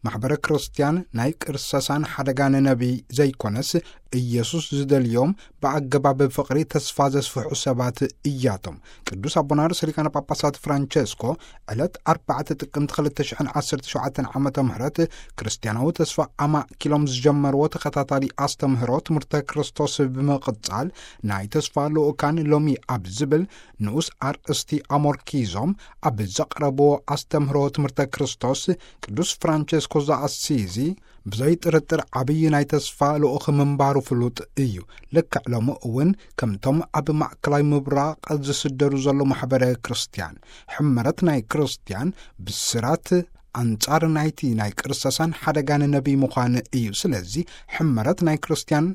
ማሕበረ ክርስትያን ናይ ቅርሰሳን ሓደጋን ነቢይ ዘይኮነስ፣ ኢየሱስ ዝደልዮም ብኣገባብ ፍቕሪ ተስፋ ዘስፍሑ ሰባት እያቶም። ቅዱስ ኣቦና ርእሰ ሊቃነ ጳጳሳት ፍራንቸስኮ ዕለት ኣርባዕተ ጥቅምቲ ክልተ ሽሕን ዓሰርተ ሸውዓተን ዓመተ ምህረት ክርስትያናዊ ተስፋ ኣማእኪሎም ዝጀመርዎ ተኸታታሊ ኣስተምህሮ ትምህርተ ክርስቶስ ብምቕጻል፣ ናይ ተስፋ ልኡካን ሎሚ ኣብ ዝብል ንኡስ ኣርእስቲ ኣሞርኪዞም ኣብ ዘቕረብዎ ኣስተምህሮ ትምህርተ ክርስቶስ፣ ቅዱስ ፍራንቸስኮ ዘኣሲዚ ብዘይ ጥርጥር ዓብዪ ናይ ተስፋ ልኡኽ ምንባሩ ፍሉጥ እዩ። ልክዕ ሎሚ እውን ከምቶም ኣብ ማእከላይ ምብራቕ ዝስደዱ ዘሎ ማሕበረ ክርስትያን፣ ሕመረት ናይ ክርስትያን ብስራት ኣንጻር ናይቲ ናይ ቅርሰሳን ሓደጋን ነቢይ ምዃን እዩ። ስለዚ ሕመረት ናይ ክርስትያን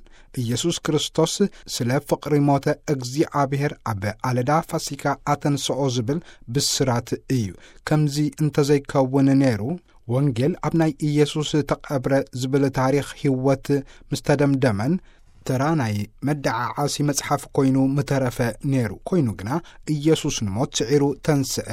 ኢየሱስ ክርስቶስ ስለ ፍቕሪ ሞተ እግዚኣብሔር ኣብ ኣለዳ ፋሲካ ኣተንስኦ ዝብል ብስራት እዩ። ከምዚ እንተዘይከውን ነይሩ፣ ወንጌል ኣብ ናይ ኢየሱስ ተቐብረ ዝብል ታሪኽ ህይወት ምስ ተደምደመን፣ ተራ ናይ መደዓዓሲ መጽሓፍ ኮይኑ ምተረፈ ነይሩ። ኮይኑ ግና ኢየሱስ ንሞት ስዒሩ ተንስአ።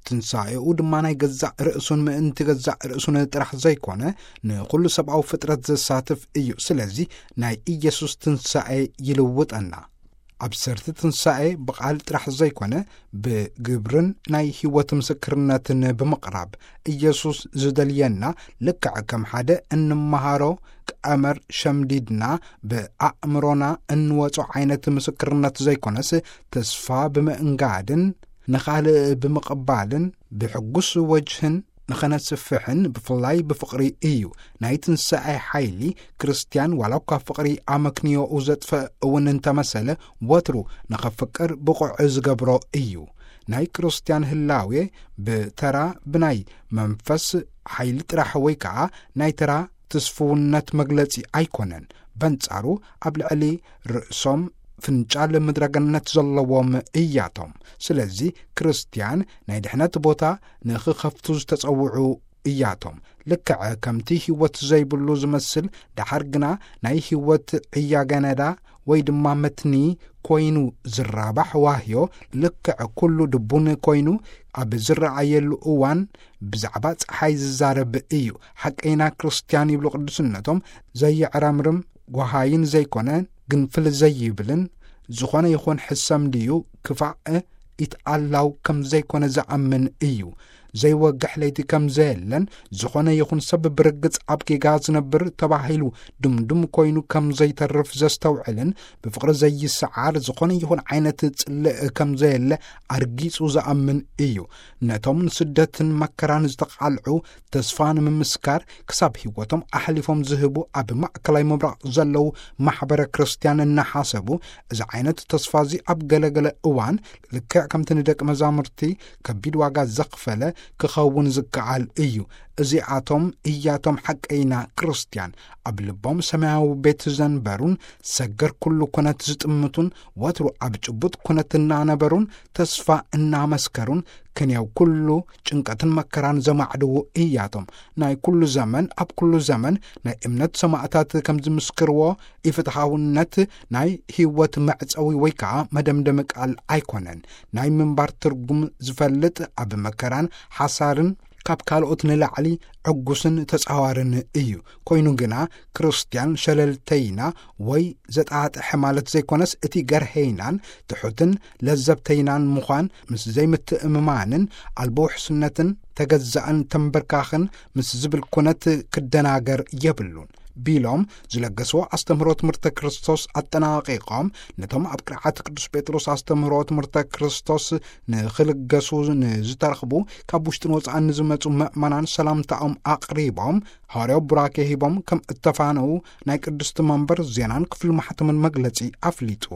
ትንሳኤኡ ድማ ናይ ገዛእ ርእሱን ምእንቲ ገዛእ ርእሱን ጥራሕ ዘይኮነ፣ ንኹሉ ሰብኣዊ ፍጥረት ዘሳትፍ እዩ። ስለዚ ናይ ኢየሱስ ትንሳኤ ይልውጠና። ኣብሰርቲ ትንሳኤ ብቓል ጥራሕ ዘይኮነ፣ ብግብርን ናይ ህይወት ምስክርነትን ብምቕራብ፣ ኢየሱስ ዝደልየና ልክዕ ከም ሓደ እንመሃሮ ቀመር ሸምዲድና ብኣእምሮና እንወጾ ዓይነት ምስክርነት ዘይኮነስ፣ ተስፋ ብምእንጋድን ንኻልእ ብምቕባልን ብሕጉስ ወጅህን ንኸነስፍሕን ብፍላይ ብፍቕሪ እዩ። ናይ ትንሳኤ ሓይሊ ክርስትያን ዋላ እኳ ፍቕሪ ኣመክንዮኡ ዘጥፍእ እውን እንተመሰለ፣ ወትሩ ንኸፍቅር ብቑዕ ዝገብሮ እዩ። ናይ ክርስትያን ህላዌ ብተራ ብናይ መንፈስ ሓይሊ ጥራሕ ወይ ከኣ ናይ ተራ ትስፍውነት መግለጺ ኣይኮነን። በንጻሩ ኣብ ልዕሊ ርእሶም ፍንጫል ምድረገነት ዘለዎም እያቶም። ስለዚ ክርስትያን ናይ ድሕነት ቦታ ንኽኸፍቱ ዝተጸውዑ እያቶም። ልክዕ ከምቲ ህይወት ዘይብሉ ዝመስል፣ ደሓር ግና ናይ ህይወት ዕያገነዳ ወይ ድማ መትኒ ኮይኑ ዝራባሕ ዋህዮ፣ ልክዕ ኩሉ ድቡን ኮይኑ ኣብ ዝረኣየሉ እዋን ብዛዕባ ጸሓይ ዝዛረብ እዩ። ሓቀይና ክርስትያን ይብሉ ቅዱስነቶም፣ ዘየዕረምርም ጓሃይን ዘይኮነ ግንፍል ዘይብልን፣ ዝኾነ ይኹን ሕሰም ድዩ ክፋእ ኢትኣላው ከም ዘይኮነ ዝኣምን እዩ። ዘይወግሕ ለይቲ ከም ዘየለን፣ ዝኾነ ይኹን ሰብ ብርግጽ ኣብ ጌጋ ዝነብር ተባሂሉ ድምዱም ኮይኑ ከም ዘይተርፍ ዘስተውዕልን፣ ብፍቕሪ ዘይሰዓር ዝኾነ ይኹን ዓይነት ጽልእ ከም ዘየለ ኣርጊጹ ዝኣምን እዩ። ነቶም ንስደትን መከራን ዝተቓልዑ ተስፋ ንምምስካር ክሳብ ህይወቶም ኣሕሊፎም ዝህቡ ኣብ ማእከላይ ምብራቕ ዘለዉ ማሕበረ ክርስትያን እናሓሰቡ፣ እዚ ዓይነት ተስፋ እዚ ኣብ ገለገለ እዋን ልክዕ ከምቲ ንደቂ መዛሙርቲ ከቢድ ዋጋ ዘኽፈለ ክኸውን ዝከኣል እዩ። እዚኣቶም እያቶም ሓቀይና ክርስትያን፣ ኣብ ልቦም ሰማያዊ ቤት ዘንበሩን ሰገር ኩሉ ኩነት ዝጥምቱን፣ ወትሩ ኣብ ጭቡጥ ኩነት እናነበሩን ተስፋ እናመስከሩን፣ ክንየው ኩሉ ጭንቀትን መከራን ዘማዕድዉ እያቶም። ናይ ኩሉ ዘመን፣ ኣብ ኩሉ ዘመን ናይ እምነት ሰማእታት ከም ዝምስክርዎ፣ ኢፍትሓውነት ናይ ህይወት መዕጸዊ ወይ ከኣ መደምደሚ ቃል ኣይኮነን። ናይ ምንባር ትርጉም ዝፈልጥ፣ ኣብ መከራን ሓሳርን ካብ ካልኦት ንላዕሊ ዕጉስን ተጻዋርን እዩ። ኮይኑ ግና ክርስትያን ሸለልተይና ወይ ዘጣጥሐ ማለት ዘይኮነስ፣ እቲ ገርሄይናን ትሑትን ለዘብተይናን ምዃን ምስ ዘይምትእምማንን ኣልቦ ውሕስነትን ተገዛእን ተንበርካኽን ምስ ዝብል ኩነት ክደናገር የብሉን ቢሎም ዝለገስዎ ኣስተምህሮ ትምህርተ ክርስቶስ ኣጠናቒቖም፣ ነቶም ኣብ ቅርዓት ቅዱስ ጴጥሮስ ኣስተምህሮ ትምህርተ ክርስቶስ ንኽልገሱ ንዝተረኽቡ ካብ ውሽጥን ወጻእን ንዝመጹ ምእመናን ሰላምታኦም ኣቕሪቦም፣ ሃዋርያዊ ቡራኬ ሂቦም ከም እተፋነዉ ናይ ቅድስቲ መንበር ዜናን ክፍሊ ማሕተምን መግለጺ ኣፍሊጡ።